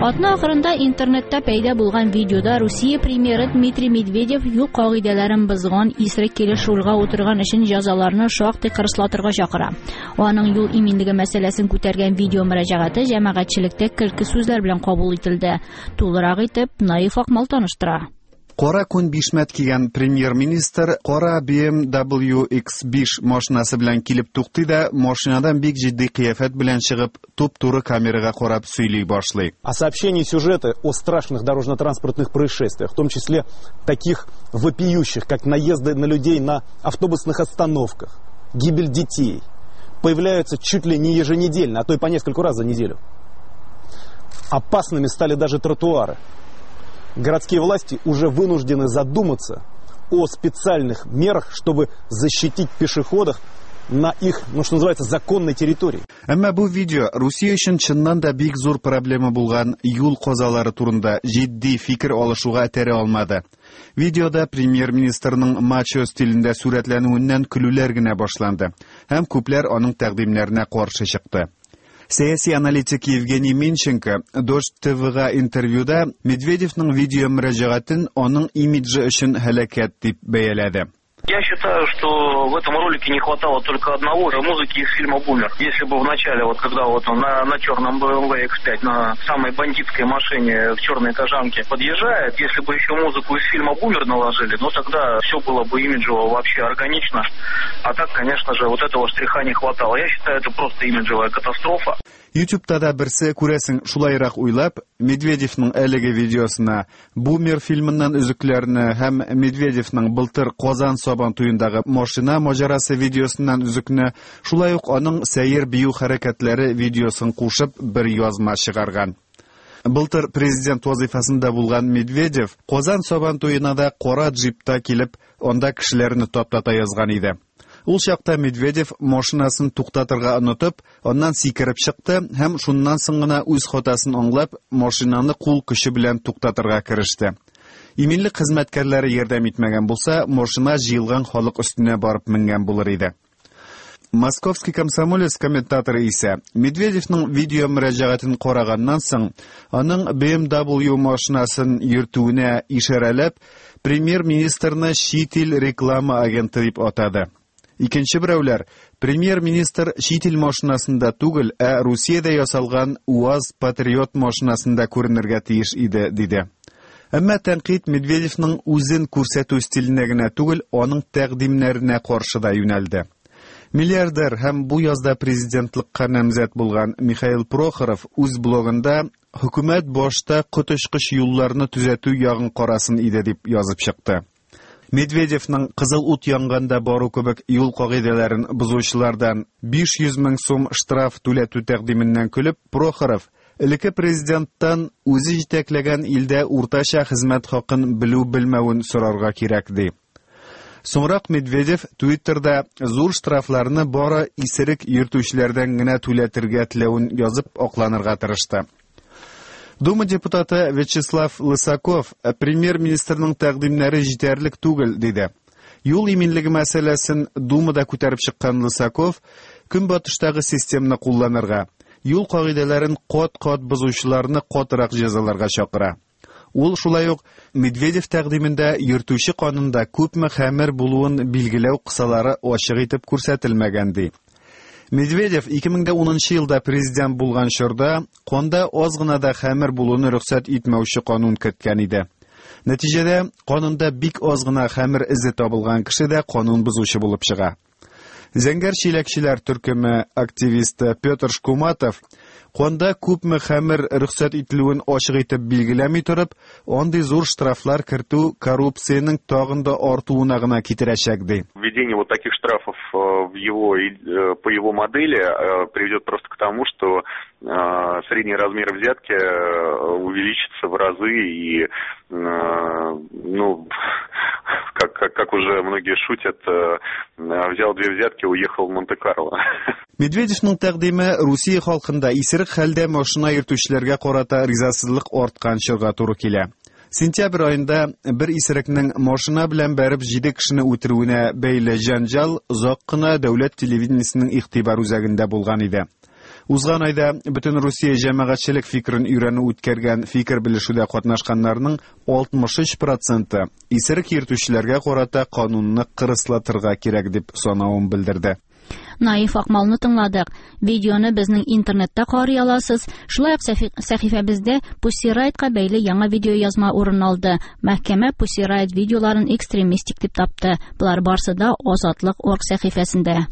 Атна ахырында интернетта пәйда булган видеода Русия премьеры Дмитрий Медведев юл кагыйдәләрен бозган исерек килеш рульга утырган өчен җәзаларны шактый кырыслатырга чакыра. Аның юл иминлеге мәсьәләсен күтәргән видео мөрәҗәгате җәмәгатьчелектә көлке сүзләр белән кабул ителде. Тулырак итеп Наиф Акмал таныштыра. Кара күн бишмәт кигән премьер-министр кара BMW X5 машинасы белән килеп туктый да, машинадан бик җитди кыяфәт белән чыгып, туп-туры камерага карап сөйли башлый. А сообщения и сюжеты о страшных дорожно-транспортных происшествиях, в том числе таких вопиющих, как наезды на людей на автобусных остановках, гибель детей, появляются чуть ли не еженедельно, а то и по нескольку раз за неделю. Опасными стали даже тротуары. Городские власти уже вынуждены задуматься о специальных мерах, чтобы защитить пешеходов на их, ну, что называется, законной территории. Әмма бу видео Русия өчен чыннан да бик зур проблема булган юл казалары турында җитди фикер алышуга этәрә алмады. Видеода премьер-министрның мачо стилендә сурәтләнүеннән көлүләр генә башланды һәм күпләр аның тәкъдимнәренә каршы чыкты. Сәяси аналитик Евгений Минченко Дождь ТВга интервьюда Медведевның видео мөрәҗәгатен аның имиджы өчен һәлакәт дип бәяләде. Я считаю, что в этом ролике не хватало только одного – музыки из фильма «Бумер». Если бы в начале, вот когда вот он на черном BMW X5, на самой бандитской машине в черной кожанке подъезжает, если бы еще музыку из фильма «Бумер» наложили, ну тогда все было бы имиджево вообще органично. А так, конечно же, вот этого штриха не хватало. Я считаю, это просто имиджевая катастрофа. YouTube'та да берсе, күрәсең, шулайрак уйлап, Медведевның әлеге видеосына Бумер фильмыннан өзекләрне һәм Медведевның былтыр Казан Сабан туендагы машина маҗарасы видеосыннан өзекне, шулай ук аның сәер бию хәрәкәтләре видеосын кушып бер язма чыгарган. Былтыр президент вазифасында булган Медведев Казан Сабан туена да кара джипта килеп, анда кешеләрне таптата язган иде. Ул чакта Медведев машинасын туктатырга онытып, аннан сикереп чыкты һәм шуннан соң гына үз хатасын аңлап, машинаны кул көче белән туктатырга кереште. Иминлек хезмәткәрләре ярдәм итмәгән булса, машина җыелган халык өстенә барып менгән булыр иде. Московский комсомолец комментаторы исә Медведевның видео мөрәҗәгатен караганнан соң, аның BMW машинасын йөртүенә ишарәләп, премьер-министрны чит ил реклама агенты дип атады. Икенче берәүләр, премьер-министр чит ил машинасында түгел, ә Русиядә ясалган УАЗ Патриот машинасында күренергә тиеш иде, диде. Әмма тәнкыйть Медведевның үзен күрсәтү стиленә генә түгел, аның тәкъдимнәренә каршы да юнәлде. Миллиардер һәм бу язда президентлыкка намзәт булган Михаил Прохоров үз блогында хөкүмәт башта коточкыч юлларны төзәтү ягын карасын иде дип язып чыкты. Медведевның кызыл ут янганда бару кебек юл кагыйдәләрен бозучылардан 500 мең сум штраф түләтү тәкъдименнән көлеп, Прохоров элекке президенттан үзе җитәкләгән илдә уртача хезмәт хакын белү-белмәвен сорарга кирәк ди. Соңрак Медведев Твиттерда зур штрафларны бары исерек йөртүчеләрдән генә түләтергә теләвен язып акланырга тырышты. Дума депутаты Вячеслав Лысаков премьер-министрның тәкъдимнәре җитәрлек түгел, диде. Юл иминлеге мәсьәләсен Думада күтәреп чыккан Лысаков көнбатыштагы системны кулланырга, юл кагыйдәләрен кат-кат бозучыларны катырак җәзаларга чакыра. Ул шулай ук Медведев тәкъдимендә йөртүче канында күпме хәмер булуын билгеләү кысалары ачык итеп күрсәтелмәгән ди. Медведев 2010 елда президент булган чорда канда аз гына да хәмер булуны рөхсәт итмәүче канун керткән иде. Нәтиҗәдә канунда бик аз гына хәмер эзе табылган кеше дә канун бозучы булып чыга. Зәңгәр чиләкчеләр төркеме активисты Петр Шкуматов канда күпме хәмер рөхсәт ителүен ачык итеп билгеләми торып, андый зур штрафлар кертү коррупциянең тагын да артуына гына китерәчәк ди. Введение вот таких штрафов по его модели приведет просто к тому, что средний размер взятки увеличится в разы и, ну, как уже многие шутят, взял две взятки, уехал в Монте-Карло. Медведевның тәкъдиме Русия халкында исерек хәлдә машина йөртүчеләргә карата ризасызлык арткан чорга туры килә. Сентябрь аенда бер исерекнең машина белән бәреп 7 кешене үтерүенә бәйле җәнҗал озак кына дәүләт телевидениесенең игътибар үзәгендә булган иде. Узган айда бөтен Русия җәмәгатьчелек фикерен өйрәнү үткәргән фикер белешүдә катнашканнарның 63 проценты исерек йөртүчеләргә карата канунны кырыслатырга кирәк дип санавын белдерде. Наиф Акмалны тыңладык. Видеоны безнең интернетта карый аласыз. Шулай ук сәхифәбездә Pussy Riot-ка бәйле яңа видеоязма урын алды. Мәхкәмә Pussy Riot видеоларын экстремистик дип тапты. Болар барсы да Азатлык орг сәхифәсендә.